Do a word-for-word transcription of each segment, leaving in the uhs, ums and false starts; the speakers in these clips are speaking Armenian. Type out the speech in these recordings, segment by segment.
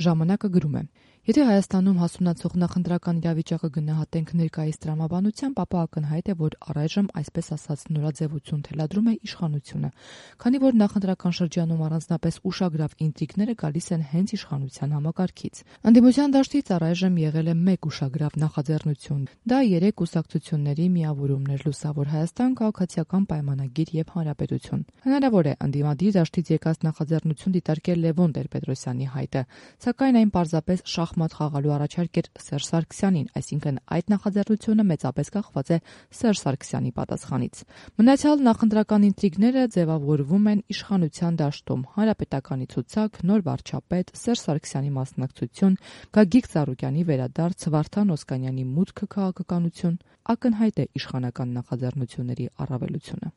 Ժամանակը գրում է. Եթե Հայաստանում հասունացող նախընտրական իրավիճակը գնահատենք ներկայիս տրամաբանությամբ, ապա ակնհայտ է, որ առայժմ այսպես ասած նորաձևություն թելադրում է իշխանությունը, քանի որ նախընտրական շրջանում առանձնապես ուշագրավ ինտրիգները գալիս են հենց իշխանության համակարգից։ Ընդդիմության դաշտից առայժմ եղել է մեկ ուշագրավ նախաձեռնություն։ Դա երեք կուսակցությունների միավորումն էր՝ Լուսավոր Հայաստան, Քաղաքացիական պայմանագիր եւ Հանրապետություն։ Հնարավոր է ընդդիմադիր դաշտից եկած նախաձեռնություն դիտարկել Լևոն Տեր-Պետրոսյանի հայտը, սակայն այն պարզապես շախմատ խաղալու առաջարկ էր Սերժ Սարգսյանին, այսինքն այդ նախաձեռնությունը մեծապես կախված է Սերժ Սարգսյանի պատասխանից։ Մնացյալ նախընտրական ինտրիգները ձևավորվում են իշխանության դաշտում՝ Հանրապետականի ցուցակ, նոր վարչապետ, Սերժ Սարգսյանի մասնակցություն, Գագիկ Ծառուկյանի վերադարձ, Վարդան Օսկանյանի մուտքը քաղաքականություն, ակնհայտ է իշխանական նախաձեռնությունների առավելությունը։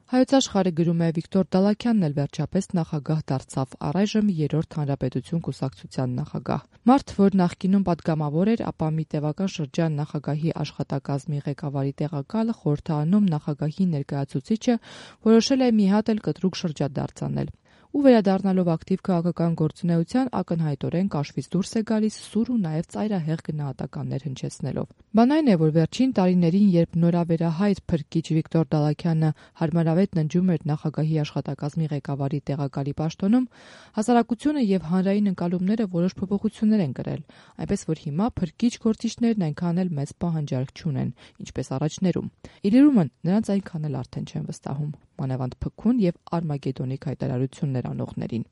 Հայոց Աշխարհը գրում է. Վիկտոր Դալաքյանն էլ վերջապես նախագահ դարձավ, առայժմ երրորդ Հանրապետություն կուսակցության նախագահ։ Մարդ, որ նախկինում պատգամավոր էր, ապա մի տևական շրջան նախագահի աշխատակազմի ղեկավարի տեղակալը, խորհրդարանում նախագահի ներկայացուցիչը, որոշել է մի հատ էլ կտրուկ շրջադարձ անել ու վերադառնալով ակտիվ քաղաքական գործունեության ակնհայտորեն կաշվից դուրս է գալիս սուր ու նաև ծայրահեղ գնահատականներ հնչեցնելով։ Բան այն է, որ վերջին տարիներին, երբ նորավերահայր փրկիչ Վիկտոր Դալաքյանը հարմարավետ ննջում էր նախագահի աշխատակազմի ղեկավարի տեղակալի պաշտոնում, հասարակությունը եւ հանրային ընկալումները որոշ փոփոխություններ են կրել, այնպես որ հիմա փրկիչ գործիչներն այնքան էլ մեծ պահանջարկ չունեն, ինչպես առաջներում։ Իլիրումն նրանց այնքան էլ արդեն չեն վստահում, մանավանդ Փքուն եւ Արմագեդոնիկ հայտարարություններ անողներին։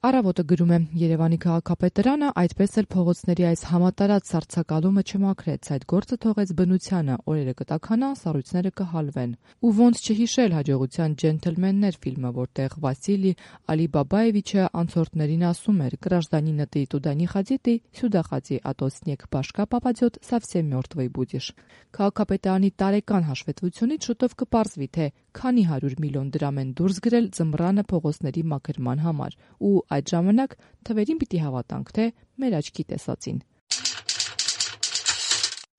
Առավոտը գրում է. Երևանի քաղաքապետարանը այդպես էլ փողոցների այս համատարած սառցակալումը չմաքրեց, այդ գործը թողեց բնությանը, օրերը կտաքանա, սառույցները կհալվեն։ Ու ոնց չհիշել հաջողության «Ջենթլմեններ» ֆիլմը, որտեղ Վասիլի Ալիբաբաևիչը անցորդներին ասում էր. «Гражданина ты туда не ходи, ты сюда ходи, а то снег башка попадет, совсем мертвый будешь»։ Քաղաքապետարանի տարեկան հաշվետվությունից շուտով կպարզվի, թե քանի հարյուր միլիոն դրամ են դուրս գրել ձմռանը փողոցների մաքրման համար, ու այդ ժամանակ թվերին պիտի հավատանք, թե մեր աչքի տեսածին։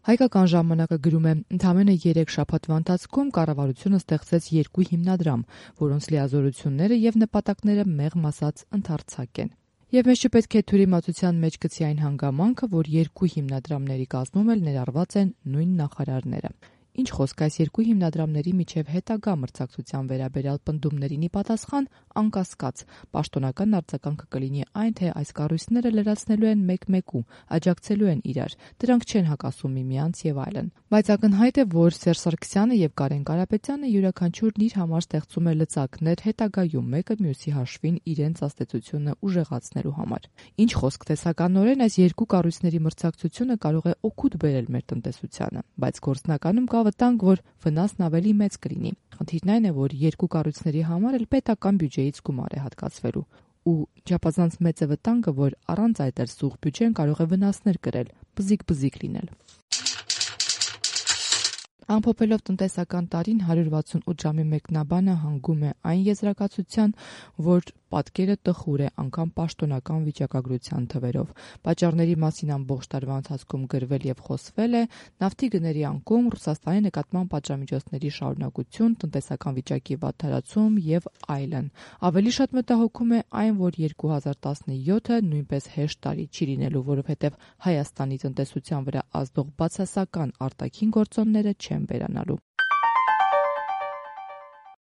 Հայկական ժամանակը գրում է. Ընդամենը երեք շաբաթվա ընթացքում կառավարությունը ստեղծեց երկու հիմնադրամ, որոնց լիազորությունները եւ նպատակները մեղմ ասած ընդարձակ են։ Եվ մեզ չպետք է թյուրիմացության մեջ գցի այն հանգամանքը, որ երկու հիմնադրամների կազմում էլ ներառված են նույն նախարարները։ Ինչ խոսք, այս երկու հիմնադրամների միջև հետագա մրցակցության վերաբերյալ պնդումներին ի պատասխան, անկասկած, պաշտոնական արձագանքը կլինի այն, թե այս կառույցները լրացնելու են մեկ-մեկու, աջակցելու են իրար, դրանք չեն հակասում միմյանց եւ այլն։ Բայց ակնհայտ է, որ Սերժ Սարգսյանը եւ Կարեն Կարապետյանը յուրաքանչյուրն իր համար ստեղծում է լծակներ հետագայում մեկը մյուսի հաշվին իրենց աստեցությունը ուժեղացնելու համար։ Ինչ խոսք, տեսականորեն այս երկու կառույցների մրցակցությունը կարող է օգուտ բերել մեր տնտեսությանը, բայց գործնականում կա վտանգ, որ վնասն ավելի մեծ կլինի։ Խնդիրն այն է, որ երկու կառույցների համար էլ պետական բյուջեից գումար է հատկացվելու, ու չափազանց մեծ է վտանգը, որ առանց այդ էլ սուղ բյուջեն կարող է վնասներ կրել, բզիկ-բզիկ լինել։ Ամփոփելով տնտեսական տարին, հարյուր վաթսունութ ժամի մեկնաբանը հանգում է այն եզրակացության, որ պատկերը տխուր է անգամ պաշտոնական վիճակագրության թվերով։ Պատճառների մասին ամբողջ տարվա ընթացքում գրվել եւ խոսվել է, նավթի գների անկում, Ռուսաստանի նկատմամբ պատժամիջոցների շարունակություն, տնտեսական վիճակի վատթարացում եւ այլն։ Ավելի շատ մտահոգում է այն, որ երկու հազար տասնյոթը նույնպես հեշտ տարի չի լինելու, որովհետեւ Հայաստանի տնտեսության վրա ազդող բացասական արտաքին գործոնները չեն վերանալու։